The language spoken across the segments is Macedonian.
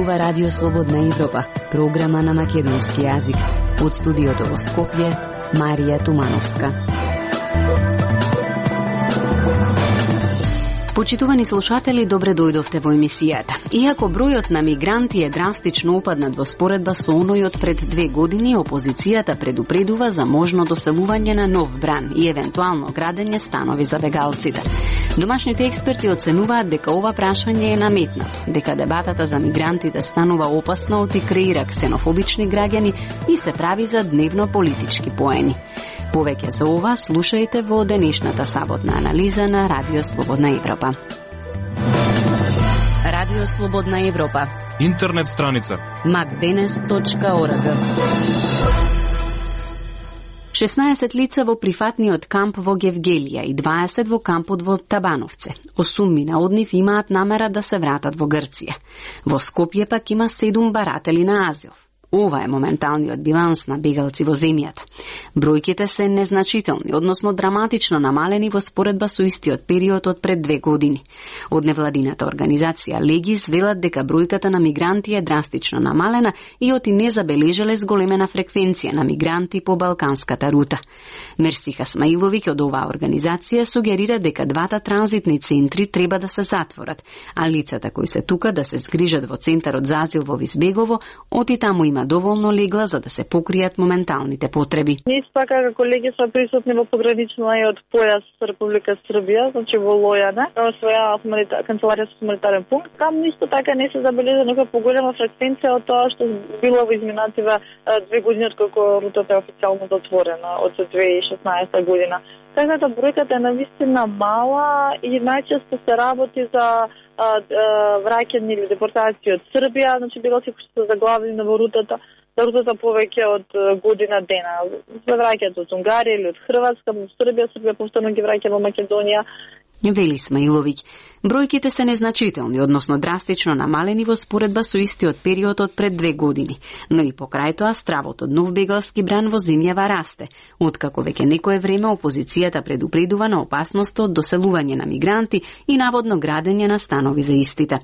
зборува Радио Слободна Европа, програма на македонски јазик. Од студиото во Скопје, Марија Тумановска. Почитувани слушатели, добре дојдовте во емисијата. Иако бројот на мигранти е драстично упаднат во споредба со оној од пред 2 години, опозицијата предупредува за можно доселување на нов бран и евентуално градење станови за бегалците. Домашните експерти оценуваат дека ова прашање е наметнато, дека дебатата за мигрантите станува опасна од и креира ксенофобични граѓани и се прави за дневно политички поени. Повеќе за ова слушајте во денешната саботна анализа на Радио Слободна Европа. Радио Слободна Европа. Интернет страница macdenes.org. 16 лица во прифатниот камп во Гевгелија и 20 во кампот во Табановце. 8 од нив имаат намера да се вратат во Грција. Во Скопје пак има 7 баратели на азил. Ова е моменталниот биланс на бегалци во земјата. Бројките се незначителни, односно драматично намалени во споредба со истиот период од пред 2 години. Од невладината организација Легис велат дека бројката на мигранти е драстично намалена и оти не забележале зголемена фреквенција на мигранти по балканската рута. Мерсиха Смаиловиќ од оваа организација сугерира дека двата транзитни центри треба да се затворат, а лицата кои се тука да се згрижат во центарот за азил во Визбегово, оти таму има доволно легла за да се покријат моменталните потреби. Ние така како колеги сме присутни во пограничниот појас со Република Србија, значи во Лојане, своја канцеларија со хуманитарен пункт. Там исто така не се забележа некоја поголема фреквенција од тоа што било во изминативе 2 години откако рутата е официјално затворена од 2016 година. Така да бројката е навистина мала и најчесто се работи за враќање или депортација од Србија, значи бегалци кои се заглавени во рутата повеќе од година дена. Се враќаат од Унгарија или од Хрватска во Србија повторно ги враќа во Македонија. Вели Смаиловиќ. Бројките се незначителни, односно драстично намалени во споредба со истиот период од пред 2 години, но и покрај тоа стравот од нов бегалски бран во земјава расте, откако веќе некое време опозицијата предупредува на опасноста од доселување на мигранти и наводно градење на станови за истите.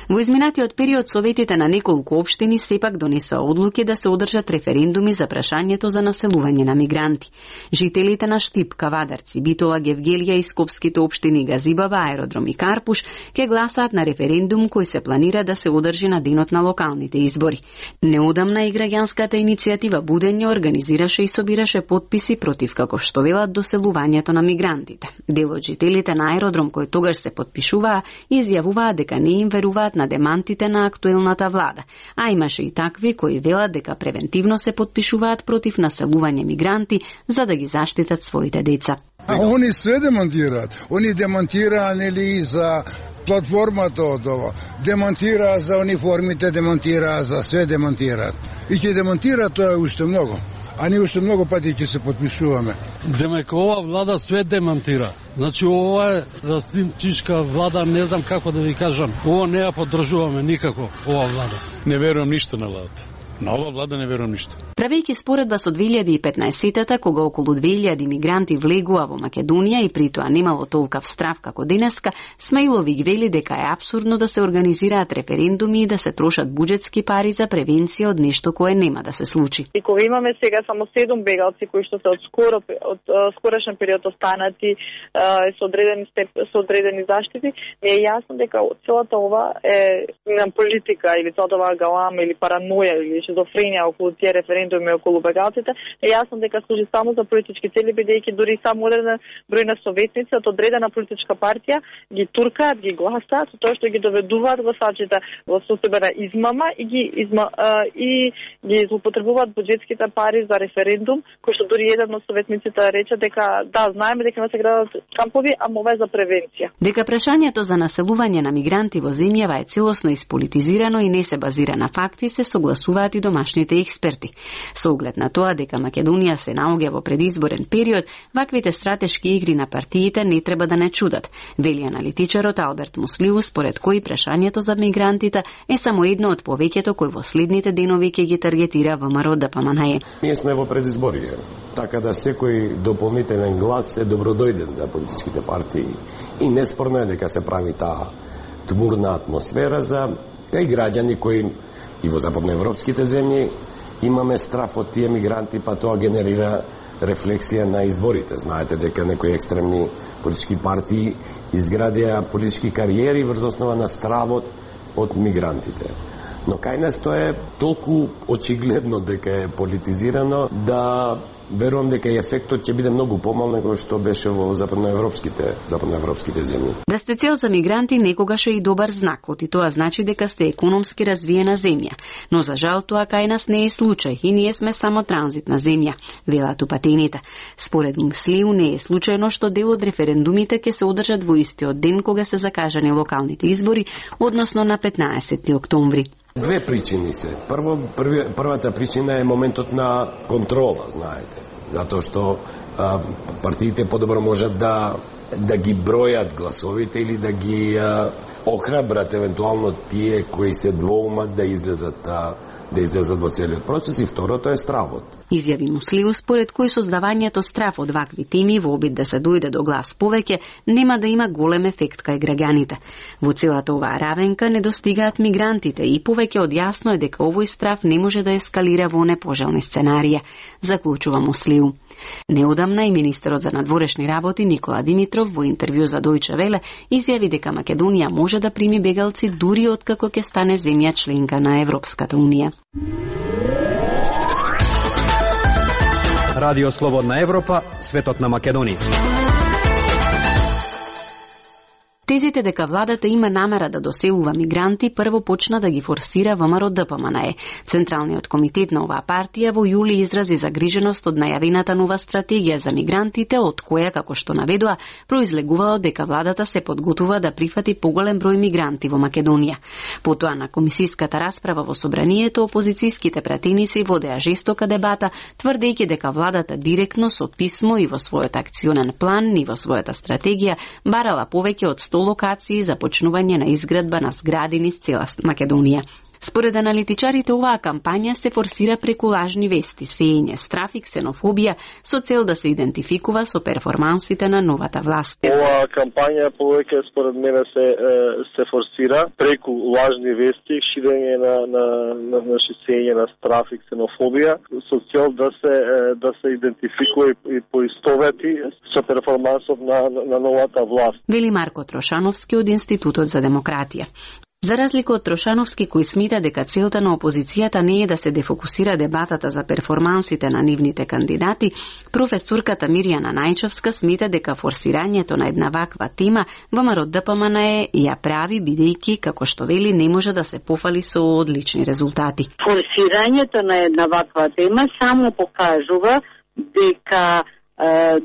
Во изминатиот период советите на неколку општини сепак донесоа одлуки да се одржат референдуми за прашањето за населување на мигранти. Жителите на Штип, Кавадарци, Битола, Гевгелија и скопските општини Газибава, Аеродром и Карпуш ќе гласаат на референдум кој се планира да се одржи на денот на локалните избори. Неодамна и граѓанската иницијатива Будење организираше и собираше потписи против, како што велат, доселувањето на мигрантите. Дел од жителите на Аеродром кои тогаш се потпишуваа изјавуваа дека не им веруваат на демантите на актуелната влада, а имаше и такви кои велат дека превентивно се потпишуваат против населување мигранти за да ги заштитат своите деца. Они све демонтираат. Они демонтираа нели за платформата од ова. Демонтираа за униформите, демонтираа за све демонтираат. И ќе демонтираат тоа уште многу. А ние уште многу пати ќе се потпишуваме. Демека ова влада све демонтира. Значи ова е растимчишка влада, не знам како да ви кажам. Ова не ја поддржуваме никако, ова влада. Не верувам ништо на владата. На ова влада не верувам ништо. Правејќи споредба со 2015-тата, кога околу 2000 мигранти влегува во Македонија и при тоа немало толкав страв како денеска, Смаиловиќ вели дека е апсурдно да се организираат референдуми и да се трошат буџетски пари за превенција од нешто кое нема да се случи. И кога имаме сега само 7 бегалци кои што се од скорошен период останати со одредени заштити, ми е јасно дека целата ова е политика или целата оваа галама или параноја или шизофренија околу тие референдуми околу бегалците, е јасно дека служи само за политички цели, бидејќи дури само одреден број на советници од одредена политичка партија ги туркаат, ги гласаат, со тоа што ги доведуваат гласачите во состојба измама и ги злоупотребуваат буџетските пари за референдум, кој што дури еден од советниците рече дека да, знаеме дека не се градат кампови, ама ова е за превенција. Дека прашањето за населување на мигранти во земјава е целосно исполитизирано и не се базира на факти, се согласуваат и домашните експерти. Со оглед на тоа дека Македонија се наоѓа во предизборен период, ваквите стратешки игри на партиите не треба да не чудат, вели аналитичарот Алберт Муслиу, според кој прашањето за мигрантите е само едно од повеќето кој во следните денови ќе ги таргетира ВМРО-ДПМНЕ. Ние сме во предизборие, така да секој дополнителен глас е добродојден за политичките партии и неспорно е дека се прави таа тмурна атмосфера за и граѓани кои и во западноевропските земји имаме страф од тие мигранти, па тоа генерира рефлексија на изборите. Знаете дека некои екстремни политички партии изградија политички кариери врз основа на стравот од мигрантите. Но кај нас тоа е толку очигледно дека е политизирано да верувам дека и ефектот ќе биде многу помал него што беше во западноевропските земји. Да сте цел за мигранти некогаш е и добар знак, и тоа значи дека сте економски развиена земја. Но за жал тоа кај нас не е случај и ние сме само транзитна земја, велат упатените. Според Муслиу не е случајно што дел од референдумите ќе се одржат во истиот ден кога се закажани локалните избори, односно на 15 октомври. Две причини се. Првата причина е моментот на контрола, знаете. Затоа што партиите подобро можат да ги бројат гласовите или да ги охрабрат евентуално тие кои се двоумат да излезат во целиот процес, и второто е стравот. Изјави Муслиу, според кој создавањето страв од вакви теми во обид да се дојде до глас повеќе нема да има голем ефект кај граѓаните. Во целата оваа равенка не достигаат мигрантите и повеќе од јасно е дека овој страв не може да ескалира во непожелни сценарија, заклучува Муслиу. Неодамна и министерот за надворешни работи Никола Димитров во интервју за Дојче Веле изјави дека Македонија може да прими бегалци дури откако ќе стане земја членка на Европската унија. Радио Слободна Европа, светот на Македонија. Тезите дека владата има намера да доселува мигранти прво почна да ги форсира ВМРО ДПМНЕ. Централниот комитет на оваа партија во јули изрази загриженост од најавената нова стратегија за мигрантите, од која, како што наведува, произлегувало дека владата се подготвува да прифати поголем број мигранти во Македонија. Потоа на комисиската расправа во собранието опозицијските пратеници водеа жестока дебата, тврдејќи дека владата директно со писмо и во својот акционен план и во својата стратегија барала повеќе од 100 локации за почнување на изградба на згради низ цела Македонија. Според аналитичарите, оваа кампања се форсира преку лажни вести, сеење страф и ксенофобија со цел да се идентификува со перформансите на новата власт. Оваа кампања повеќе според мене се форсира преку лажни вести, ширење на сеење на страф и ксенофобија со цел да се идентификува и поистовети со перформансот на новата власт. Вели Марко Трошановски од Институтот за демократија. За разлика од Трошановски, кој смета дека целта на опозицијата не е да се дефокусира дебатата за перформансите на нивните кандидати, професорката Мирјана Најчовска смета дека форсирањето на една ваква тема ВМРО ДПМНЕ ја прави бидејќи, како што вели, не може да се пофали со одлични резултати. Форсирањето на една ваква тема само покажува дека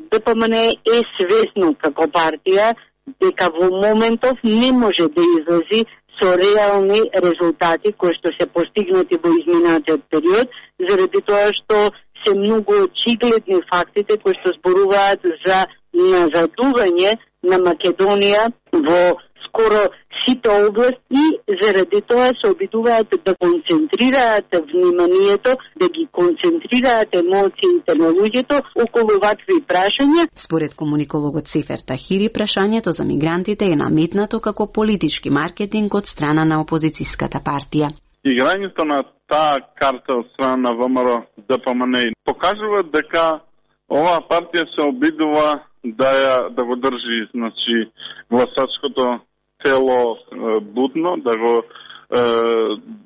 ДПМНЕ е свесно како партија дека во моментов не може да излази со реални резултати кои што се постигнати во изминатиот период, заради тоа што се многу очигледни фактите кои што зборуваат за назадување на Македонија во скоро сите области и заради тоа се обидуваат да концентрираат вниманието, да ги концентрираат емоциите на луѓето околу вакви прашања. Според комуникологот Сефер Тахири, прашањето за мигрантите е наметнато како политички маркетинг од страна на опозицијската партија. Играњето на таа карта од страна на ВМРО ДПМНЕ покажува дека оваа партија се обидува да го држи, значи, гласачкото тело будно, да го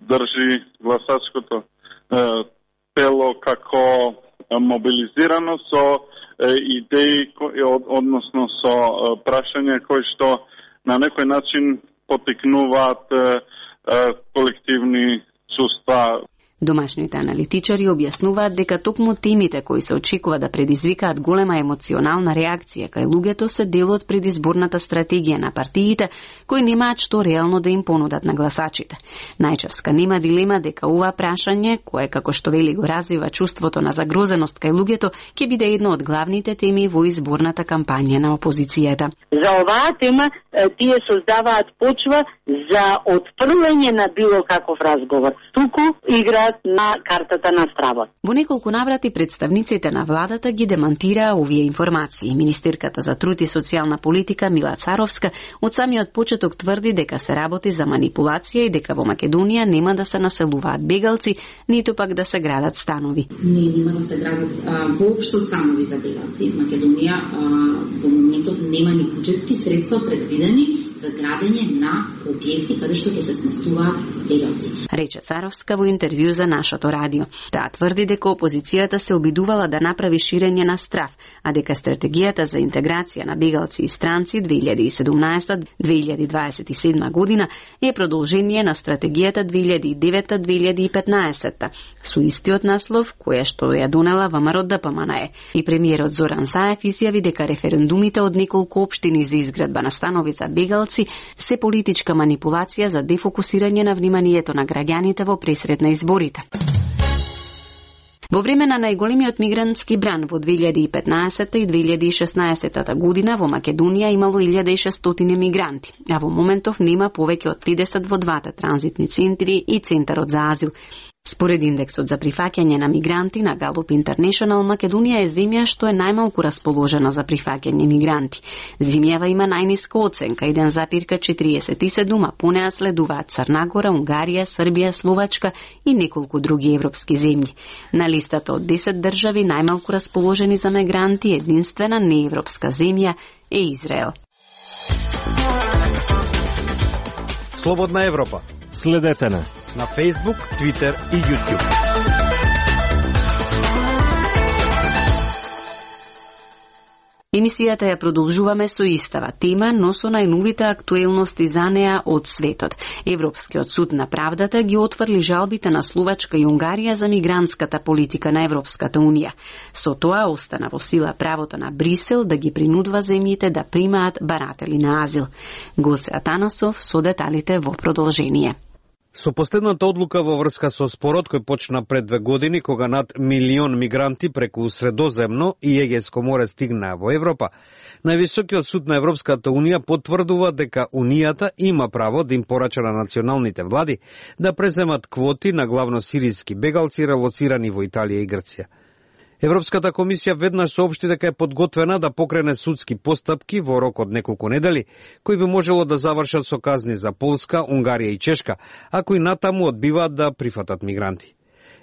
држи гласачкото тело како мобилизирано со идеи, односно со прашања кои што на некој начин потикнуваат колективни чувства. Домашните аналитичари објаснуваат дека токму темите кои се очекува да предизвикаат голема емоционална реакција кај луѓето се дел од предизборната стратегија на партиите кои немаат што реално да им понудат на гласачите. Најчевска нема дилема дека ова прашање, кое како што вели го развива чувството на загрозеност кај луѓето, ќе биде едно од главните теми во изборната кампања на опозицијата. За оваа тема тие создаваат почва за отфрлање на било каков разговор. Туку игра на картата на стравот. Во неколку наврати представниците на владата ги демантираа овие информации. Министерката за труд и социјална политика Мила Царовска од самиот почеток тврди дека се работи за манипулација и дека во Македонија нема да се населуваат бегалци, ниту пак да се градат станови. Нема да се градат воопшто станови за бегалци. Македонија во моментов нема ни буџетски средства предвидени за градење на објекти каде што ќе се сместуваат бегалци. Рече Царовска во интервју за нашото радио. Таа тврди дека опозицијата се обидувала да направи ширење на страв, а дека стратегијата за интеграција на бегалци и странци 2017-2027 година е продолжение на стратегијата 2009-2015 со истиот наслов која што ја донела ВМРО ДПМНЕ. И премиерот Зоран Заев изјави дека референдумите од неколку општини за изградба на станови за бегалци се политичка манипулација за дефокусирање на вниманието на граѓаните во пресред на изборите. Во време на најголемиот мигрантски бран во 2015 и 2016 година во Македонија имало 1600 мигранти, а во моментов нема повеќе од 50 во двата транзитни центри и центарот за азил. Според индексот за прифаќање на мигранти на Gallup International, Македонија е земја што е најмалку расположена за прифаќање мигранти. Земјава има најниска оценка 1,47, а по неа следуваат Црна Гора, Унгарија, Србија, Словачка и неколку други европски земји. На листата од 10 држави најмалку расположени за мигранти единствена неевропска земја е Израел. Слободна Европа. Следете на Facebook, Twitter и YouTube. Емисијата ја продолжуваме со истава тема, но со најновите актуелности за неа од светот. Европскиот суд на правдата ги отфрли жалбите на Словачка и Унгарија за мигрантската политика на Европската Унија. Со тоа остана во сила правото на Брисел да ги принудува земјите да примаат баратели на азил. Гоце Атанасов со деталите во продолжение. Со последната одлука во врска со спорот кој почна пред 2 години, кога над 1 милион мигранти преку Средоземно и Егејско море стигнаа во Европа, највисокиот суд на Европската Унија потврдува дека Унијата има право да им порача на националните влади да преземат квоти на главно сириски бегалци релоцирани во Италија и Грција. Европската комисија веднаш соопшти дека е подготвена да покрене судски постапки во рок од неколку недели, кои би можело да завршат со казни за Полска, Унгарија и Чешка, ако и натаму одбиваат да прифатат мигранти.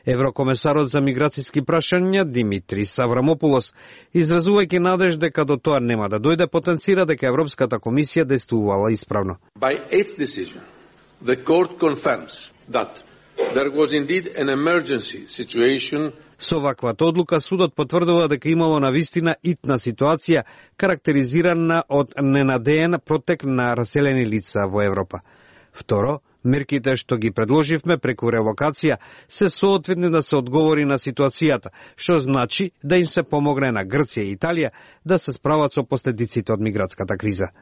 Еврокомесарот за миграцијски прашања Димитрис Аврамопулос, изразувајќи надеж дека до тоа нема да дојде, потенцира дека Европската комисија действувала исправно. By its decision, the court confirms that there was indeed an emergency situation. Со ваквата одлука судот потврдува дека имало навистина итна ситуација карактеризирана од ненадеен протек на раселени лица во Европа. Второ, мерките што ги предложивме преку релокација се соодветни да се одговори на ситуацијата, што значи да им се помогне на Грција и Италија да се справат со последиците од мигратската криза.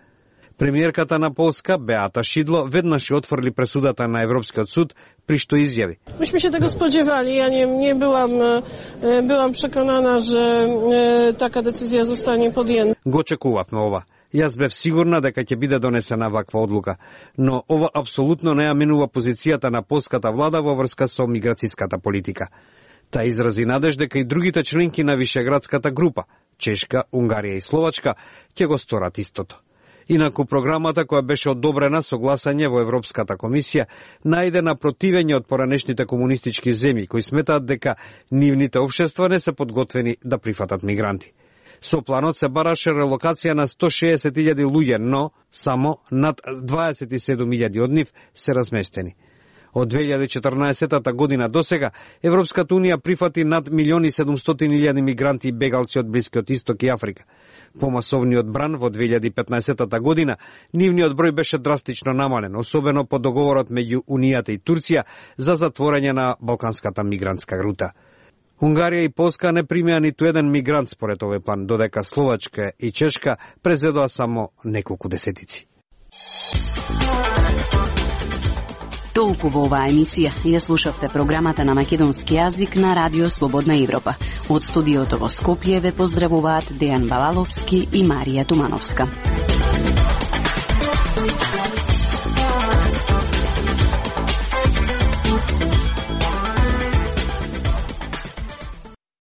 Премиерката на Полска, Беата Шидло, веднаш отфрли пресудата на Европскиот суд, при што изјави. Myśmy się tego spodziewali. Ja nie byłam przekonana, że taka decyzja zostanie podjęta. Го очекувавме ова. Јас бев сигурна дека ќе биде донесена ваква одлука, но ова апсолутно не ја менува позицијата на полската влада во врска со миграцијската политика. Та изрази надеж дека и другите членки на Вишеградската група, Чешка, Унгарија и Словачка, ќе го сторат истото. Инаку програмата која беше одобрена со гласање во Европската комисија најде на противење од поранешните комунистички земји кои сметаат дека нивните општества не се подготвени да прифатат мигранти. Со планот се бараше релокација на 160.000 луѓе, но само над 27.000 од нив се разместени. Од 2014 година до сега, Европската Унија прифати над 1.700.000 мигранти и бегалци од Блискиот Исток и Африка. По масовниот бран во 2015 година, нивниот број беше драстично намален, особено по договорот меѓу Унијата и Турција за затворање на балканската мигрантска рута. Унгарија и Полска не примеа ниту еден мигрант според овој план, додека Словачка и Чешка презедоа само неколку десетици. Толку во оваа емисија. Ја слушавте програмата на македонски јазик на Радио Слободна Европа. Од студиото во Скопје ве поздравуваат Дејан Балаловски и Марија Тумановска.